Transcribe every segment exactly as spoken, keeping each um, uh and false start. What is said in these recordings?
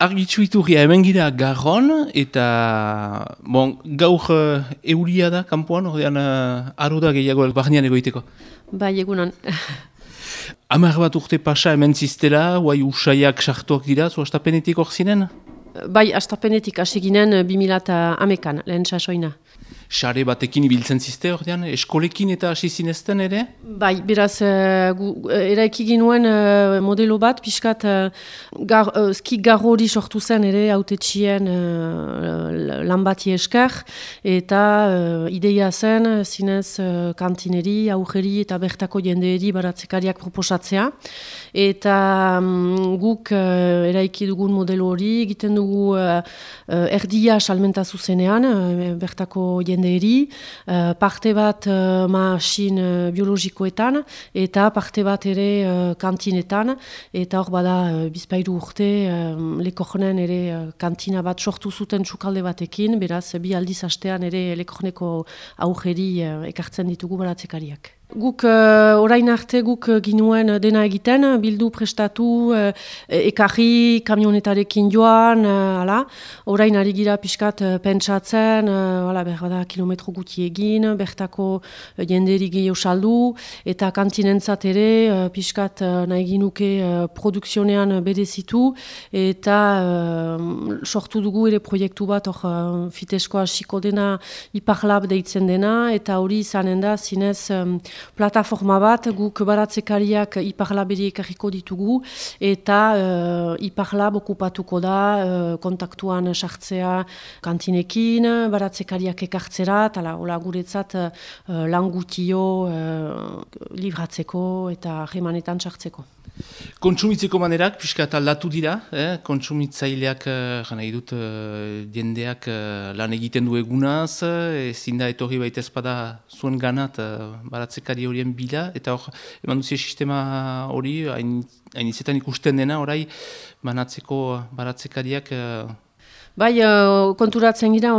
Argitxu iturria hemen gira Garron, eta bon, gaur uh, euria da kanpoan, ordean uh, aro da gehiago barnean egoiteko. Bai, egunan. Hamar bat urte pasa hemen ziztela, guai usaiak sartuak dira, zu astapenetik hor zinen? Bai, astapenetik hasi ginen bi mila hamekan, lehen sasoina. Sare batekin ibiltzen zizte ordean, eskolekin eta hasi zinezten ere? Bai, beraz, uh, gu, eraiki ginuen uh, modelo bat, pixkat uh, gar, uh, ski garro hori sortu zen ere autetxien uh, lan bati esker, eta uh, ideia zen zinez uh, kantineri, aurreri eta bertako jendeeri baratzekariak proposatzea. Eta um, guk uh, eraiki dugun modelo hori, egiten dugu uh, uh, erdia salmenta zuzenean, uh, bertako jende Eri, uh, parte bat uh, masin uh, biologikoetan eta parte bat ere uh, kantinetan, eta hor bada uh, bizpairu urte uh, Lekornen ere uh, kantina bat sortu zuten txukalde batekin, beraz bi aldiz astean ere Lekorneko aurreri uh, ekartzen ditugu baratzekariak. Guk uh, orain arte guk uh, ginuen dena egiten, bildu prestatu, uh, ekarri, kamionetarekin joan, uh, ala. Orain ari gira pixkat uh, pentsatzen, uh, ala, berbada kilometro guti egin, bertako uh, jenderi gehiago saldu, eta kantinentzat ere uh, pixkat uh, nahi ginuke uh, produkzionean berezitu, eta uh, sortu dugu ere proiektu bat, hor uh, fitesko hasiko dena Iparlab deitzen dena, eta hori izanen da zinez um, plataforma bat, guk baratzekariak Iparlaberi ekarriko ditugu, eta uh, Iparlab okupatuko da uh, kontaktuan sartzea kantinekin, baratzekariak ekartzera, eta hola guretzat uh, lan gutio uh, libratzeko eta remanetan sartzeko. Kontsumitzeko manerak, piskat aldatu dira, eh? Kontsumitzaileak, uh, nahi dut, uh, jendeak uh, lan egiten du egunaz, ezin da etorri baita ezpada zuen ganat uh, baratzekari horien bila, eta hor, eman duzia sistema hori, hain, hain izetan ikusten dena, orai, banatzeko baratzekariak... Uh, Bai, uh, konturatzen gira,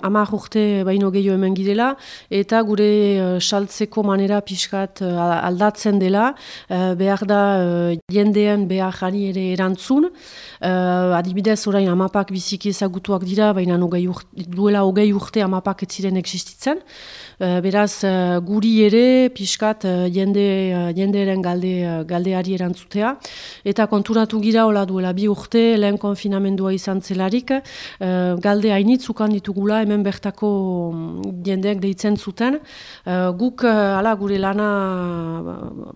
hamar urte baino gehiago hemen girela, eta gure uh, saltzeko manera pixkat uh, aldatzen dela, uh, behar da uh, jendeen beharrari ere erantzun. Uh, adibidez, orain amapak biziki ezagutuak dira, baina urte, duela hogei urte amapak ez ziren existitzen. Uh, beraz, uh, guri ere pixkat uh, jende, uh, jendearen galde, uh, galdeari erantzutea. Eta konturatu gira, hola duela bi urte, lehen konfinamendua izan zelarik, Uh, galde hainitzukan ditugula hemen bertako jendeak deitzen zuten. Uh, guk uh, ala, gure lana uh,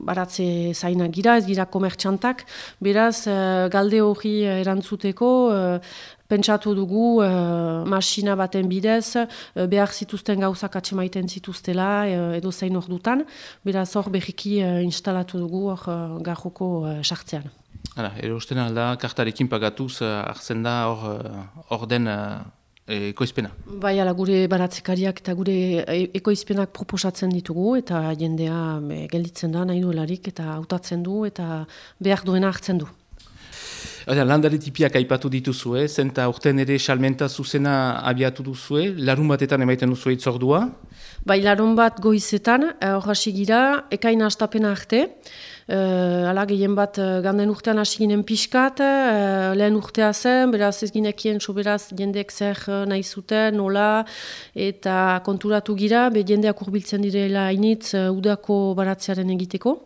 baratze zainak gira, ez gira komertxantak, beraz uh, galde hori erantzuteko uh, pentsatu dugu uh, masina baten bidez, uh, behar zituzten gauzak atsemaiten zituztela uh, edo zein ordutan, beraz hor berriki uh, instalatu dugu hor uh, garroko uh, sartzean. Hala, erosten alda, kartarekin pagatuz, uh, hartzen da hor uh, den uh, ekoizpena. Bai, ala, gure baratzekariak eta gure ekoizpenak proposatzen ditugu, eta jendea be, gelditzen da nahi duelarik, eta hautatzen du, eta behar duena hartzen du. Landare tipiak aipatu dituzue, zenta urten ere salmenta zuzena abiatu duzue, larun batetan emaiten duzue itzordua? Bai, larun bat goizetan, hor hasi gira, ekaina astapena arte, Uh, ala, gehien bat uh, ganden urtean hasi ginen pixkat, uh, lehen urtea zen, beraz ez ginekien soberaz jendeek zer uh, nahi zuten, nola, eta konturatu gira, be jendeak urbiltzen direla hainitz uh, udako baratzearen egiteko.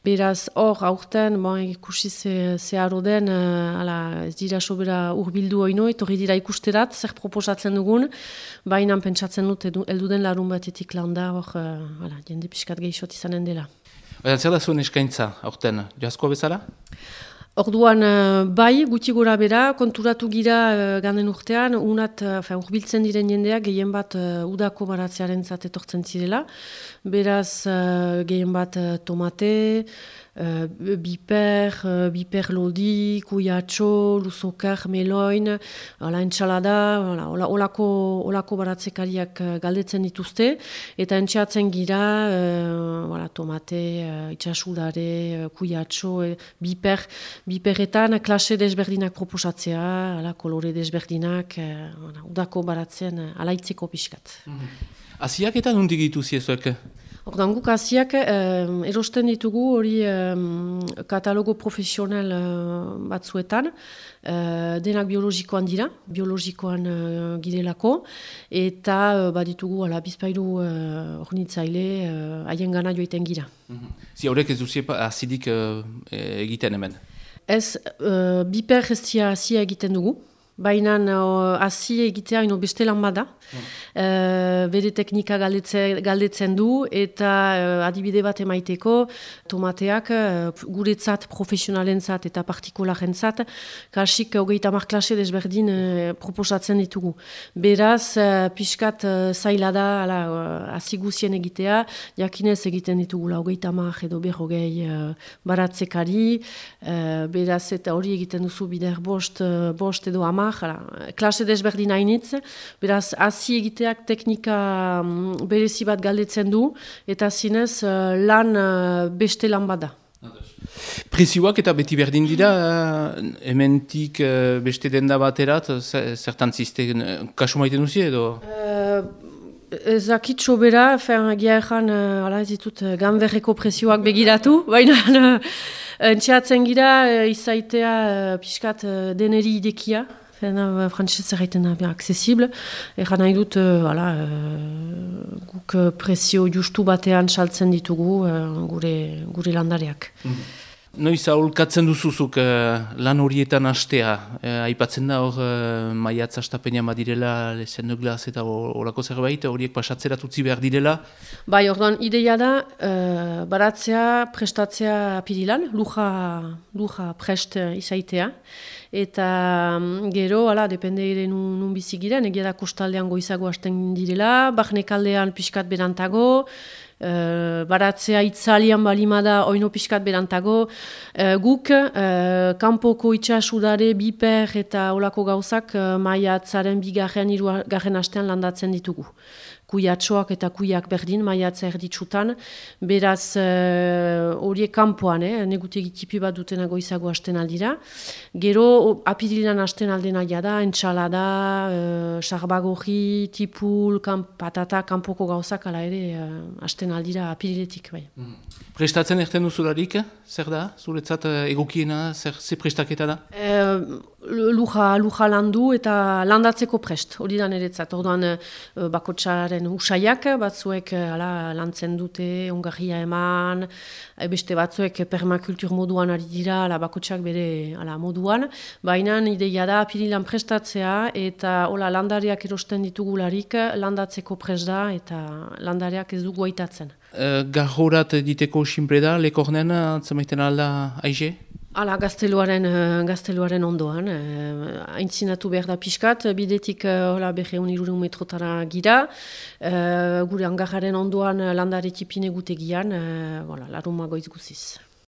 Beraz, hor, aurten, bon, ikusi ze, ze aro den, uh, ala, ez dira sobera urbildu oino, etorri dira ikusterat, zer proposatzen dugun, baina pentsatzen dut, edu, elduden larun batetik landa, hor, uh, ala, jende pixkat gehixot izanen dela. Baina, zer da zuen eskaintza, aurten, jaskoa bezala? Orduan, bai, gutxi gora bera, konturatu gira uh, ganden urtean, unat, uh, urbiltzen diren jendeak gehien bat uh, udako baratzearen zat etortzen zirela. Beraz, uh, gehien bat uh, tomate, uh, biper, uh, biper lodi, kuiatxo, luzokar, meloin, ala entxalada, ala, ola, olako, olako baratzekariak uh, galdetzen dituzte, eta entxeatzen gira, uh, ala, tomate, uh, itxasudare, uh, kuiatxo, uh, biper, biperretan klase desberdinak proposatzea, ala, kolore desberdinak, uh, udako baratzen uh, alaitzeko pixkat. Mm-hmm. Aziak eta nondik dituzi ezuek? Ordan guk hasiak eh, erosten ditugu hori eh, katalogo profesional eh, batzuetan, eh, denak biologikoan dira, biologikoan eh, girelako, eta eh, baditugu ala, bizpailu eh, ornitzaile haien eh, gana joiten gira. Mm-hmm. Zi horrek ez duzie azidik uh, egiten hemen? Ez, uh, biper estia hasia egiten dugu. Baina hasi egitea ino beste lan bada. Mm. Uh, bere teknika galdetze, galdetzen du eta uh, adibide bat emaiteko tomateak uh, guretzat, profesionalentzat eta partikularentzat kasik hogeita hamar klase desberdin uh, proposatzen ditugu. Beraz, uh, pixkat uh, zaila da hasi uh, guzien egitea, jakinez egiten ditugula hogeita hamar edo berrogei uh, baratzekari, uh, beraz eta hori egiten duzu bider bost, uh, bost edo hamar. Klase desberdin hainitz, beraz, hasi egiteak teknika berezi bat galdetzen du, eta zinez lan beste lan bada. Prezioak eta beti berdin dira, hementik beste denda baterat, zertan zizten, kasu maiten duzi edo? Ezakitxo bera, egia ezan, ez ditut ganberreko prezioak begiratu, baina entxeatzen gira, izaitea pixkat deneri idekia, frantzez erraiten da, accesible. Egan nahi dut, ala, guk prezio justu batean saltzen ditugu gure, gure landareak. Mm-hmm. Noiz aholkatzen duzuzuk uh, lan horietan hastea, uh, aipatzen da hor uh, maiatz astapenean badirela, lezen nuglaz eta horako zerbait, horiek pasatzera tutzi behar direla? Bai, orduan, ideia da, uh, baratzea, prestatzea apirilan, luja, luja prest izaitea, eta um, gero, ala, depende ere nun, nun bizigiren, egia da kostaldean goizago hasten direla, barnekaldean pixkat berantago, Uh, baratzea itzalian balimada oino pixkat berantago. Uh, guk, uh, kanpoko itxasudare, biper eta olako gauzak uh, maiatzaren bigarren, hirugarren astean landatzen ditugu. Kuiatxoak eta kuiak berdin, maiatza erditsutan. Beraz, horiek uh, kanpoan, eh, negutegi tipi bat dutena goizago hasten aldira. Gero, apirilan hasten aldena jada, entxalada, uh, sarbagorri, tipul, kamp, patata, kanpoko gauzak, ala ere, uh, hasten aldira apiriletik. Bai. Mm. Prestatzen erten duzularik, zer da? Zuretzat egokiena, zer, zer prestaketa da? Uh, luja, luja landu eta landatzeko prest, hori da niretzat. Orduan, uh, bakotsaren usaiak, batzuek ala, lantzen dute, ongarria eman, beste batzuek permakultur moduan ari dira, ala, bakotsak bere ala, moduan, baina ideia da apirilan prestatzea eta hola, landariak erosten ditugularik landatzeko prest da eta landariak ez dugu aitatzen. Uh, Garrorat diteko sinple da, lekornen, atzemaiten alda aize? Hala, gazteluaren, gazteluaren ondoan, haintzinatu behar da pixkat, bidetik hola berreun irurun metrotara gira, gure hangarraren ondoan landare tipine gutegian, laruma goiz guziz.